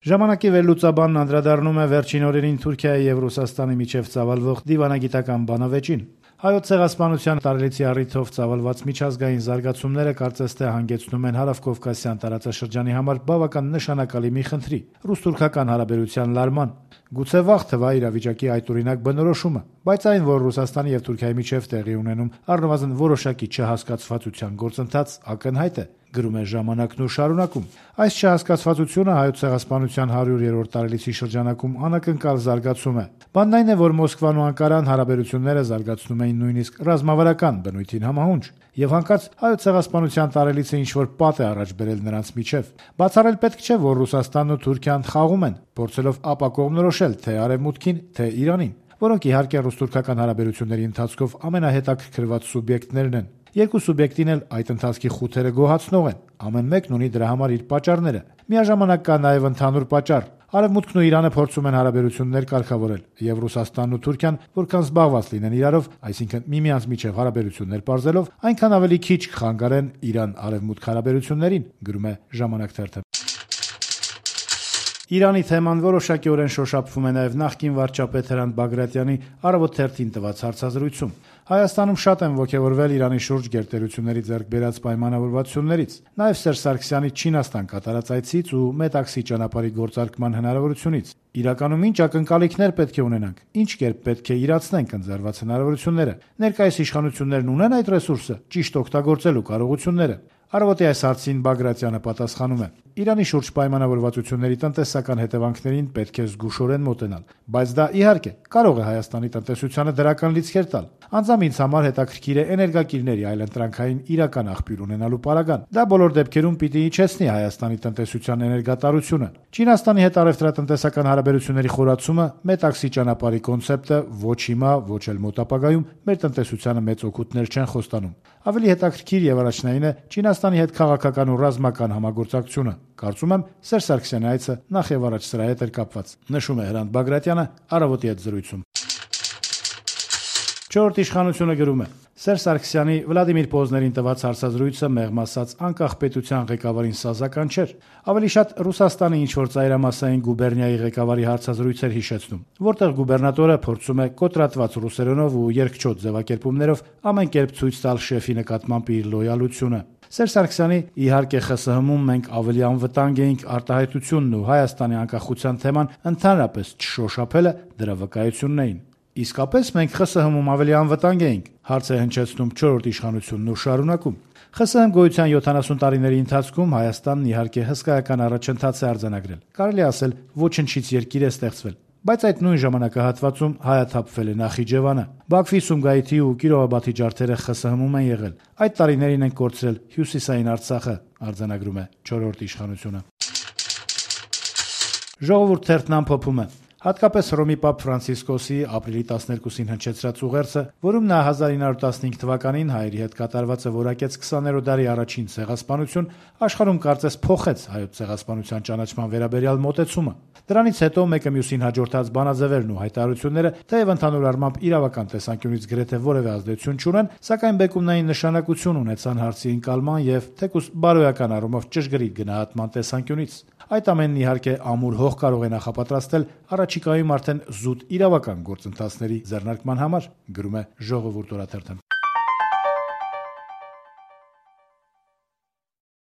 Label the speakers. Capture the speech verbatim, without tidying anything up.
Speaker 1: Ժամանակի վերլուծաբանն անդրադառնում է վերջին օրերին Թուրքիայի եւ Ռուսաստանի միջև ծավալվող դիվանագիտական բանավեճին։ Հայոց ցեղասպանության տարելիցի առիթով ծավալված միջազգային զարգացումները կարծես թե հանգեցնում են հարավկովկասյան տարածաշրջանի համար բավական նշանակալի մի խնդրի՝ ռուս-թուրքական հարաբերության լարման։ Գուցե վաղ թվա իրավիճակի այդօրինակ բնորոշումը, բայց այն, որ Ռուսաստանի եւ Թուրքիայի միջև տեղի ունենում առնվազն որոշակի չհասկացվածության գործընթաց, ակնհայտ է, գրում է «Ժամանակն» ու շարունակում. այս չհասկացվածությունը հայոց ցեղասպանության հարյուրերորդ տարելիցի շրջանակում անակնկալ զարգացում է։ Բանն այն է, որ Մոսկվան ու Անկարան հարաբերությունները զարգացնում էին նույնիսկ ռազմավարական բնույթին համահունչ, եւ հանկարծ հայոց ցեղասպանության տարելիցը ինչ-որ պատ է առաջ բերել նրանց միջև։ Բացառել պետք չէ, որ Ռուսաստանն ու Թուրքիան խաղում են, փորձելով ապակողմնորոշել թե Արևմուտքին, թե Իրանին, որոնք իհարկե ռուս-թուրքական հարաբերությունների ընթացքով ամենահետաքրքրված սուբյեկտներն են։ Երկու սուբյեկտին էլ այդ ընթացքի խութերը գոհացնող են, ամեն մեկն ունի դրա համար իր պատճառները։ Միաժամանակ կա նաև ընդհանուր պատճառ։ Արևմուտքն ու Իրանը փորձում են հարաբերություններ կարգավորել, եւ Ռուսաստանն ու Թուրքիան, որքան զբաղված լինեն իրարով, այսինքն միմյանց միջև հարաբերություններ պարզելով, այնքան ավելի քիչ կխանգարեն Իրան-Արևմուտք հարաբերություններին, գրում է «Ժամանակ» թերթը։ Իրանի թեման որոշակիորեն շոշափվում է նաև նախկին վարչապետ Հրանտ Բագրատյանի «Առավոտ» թերթին տված հարցազրույցում։ Հայաստանում շատ են ոգևորվել Իրանի շուրջ գերտերությունների ձեռք բերած պայմանավորվածություններից, նաև Սերժ Սարգսյանի Չինաստան կատարած այցից ու Մետաքսի ճանապարհի գործարկման հնարավորությունից։ Իրականում ինչ ակնկալիքներ պետք է ունենանք, ինչ կերպ պետք է իրացնենք ընձեռված հնարավորությունները։ Ներկայիս իշխանություններն ունեն այդ ռեսուրսը ճիշտ օգտագործելու կարողությունները։ Առավոտի այս հարցին Բագրատյանը պատասխանում է. Իրանի շուրջ պայմանավորվածությունների տնտեսական հետևանքներին պետք է զգուշորեն մոտենալ, բայց դա իհարկե կարող է Հայաստանի տնտեսությանը դրական լիցքեր տալ։ Անձամբ ինձ համար հետաքրքիր է էներգակիրների այլընտրանքային իրական աղբյուր ունենալու պարագան։ Դա բոլոր դեպքերում պիտի իջեցնի Հայաստանի տնտեսության էներգատարությունը։ Չինաստանի հետ առևտրատնտեսական հարաբերությունների խորացումը, Մետաքսի ճանապարհի կոնցեպտը ոչ հիմա, ոչ էլ մոտ ապագայում մեր տնտեսությանը մեծ օգուտներ չեն խոստանում։ Ավելի հետաքրքիր եւ առաջնային է Չինաստանի հետ քաղաքական ու ռազմական համագործակցությունը։ Կարծում եմ, Սերժ Սարգսյանի այցը նախ եւ առաջ սրա հետ էր կապված, նշում է Հրանտ Բագրատյանը «Առավոտի» հետ զրույցում։ Չորրորդ իշխանությունը գրում է. Սերժ Սարգսյանի Վլադիմիր Պոզներին տված հարցազրույցը մեղմ ասած անկախ պետության ղեկավարին սազական չէր։ Ավելի շատ Ռուսաստանի ինչ-որ ծայրամասային գուբերնիայի ղեկավարի հարցազրույցեր հիշեցնում, որտեղ գուբերնատորը փորձում է կոտրատված ռուսերենով ու երկչոտ ձևակերպումներով ամեն կերպ ցույց տալ շեֆի նկատմամբ իր լոյալությունը։ Սերժ Սարգսյանի իհարկե ԽՍՀՄ-ում մենք ավելի անվտանգ էինք արտահայտությունն ու Հայաստանի անկախության թեման ընդհանրապես չշոշափելը դրա վկայությունն էին։ Իսկապես մենք ԽՍՀՄ-ում ավելի անվտանգ էինք, հարց է հնչեցնում չորրորդ իշխանությունն ու շարունակում։ ԽՍՀՄ գոյության յոթանասուն տարիների ընթացքում Հայաստանն իհարկե հսկայական առաջընթաց է արձանագրել։ Կարելի ասել ոչնչից երկիր է ստեղծվել։ Բայց այդ նույն ժամանակահատվածում հայաթափվել է Նախիջևանը։ Բաքվի, Սումգայիթի ու Կիրովաբադի ջարդերը ԽՍՀՄ-ում են եղել։ Այդ տարիներին են կորցրել Հյուսիսային Արցախը, արձանագրում է չորրորդ իշխանությունը։ Ժողովուրդ թերթն ամփոփում է. Հատկապես Հռոմի Պապ Ֆրանցիսկոսի ապրիլի տասներկուսին հնչեցրած ուղերձը, որում նա հազար ինը հարյուր տասնհինգ թվականին հայերի հետ կատարվածը որակեց քսաներորդ դարի առաջին ցեղասպանություն, աշխարհում կարծես փոխեց հայոց ցեղասպանության ճանաչման վերաբերյալ մոտեցումը։ Դրանից հետո մեկը մյուսին հաջորդած բանաձևերն ու հայտարարությունները, թեև ընդհանուր առմամբ իրավական տեսանկյունից գրեթե որևէ ազդեցություն չունեն, սակայն բեկումնային նշանակություն ունեցան հարցի ընկալման եւ թեկուզ բարոյական առումով ճշգրիտ գնահատման տեսանկյունից։ Այդ ամենն իհարկե ամուր հող կարող է նախապատրաստել առաջիկայում արդեն զուտ իրավական գործընթացների ձեռնարկման համար, գրում է Ժողովուրդ օրաթերթը։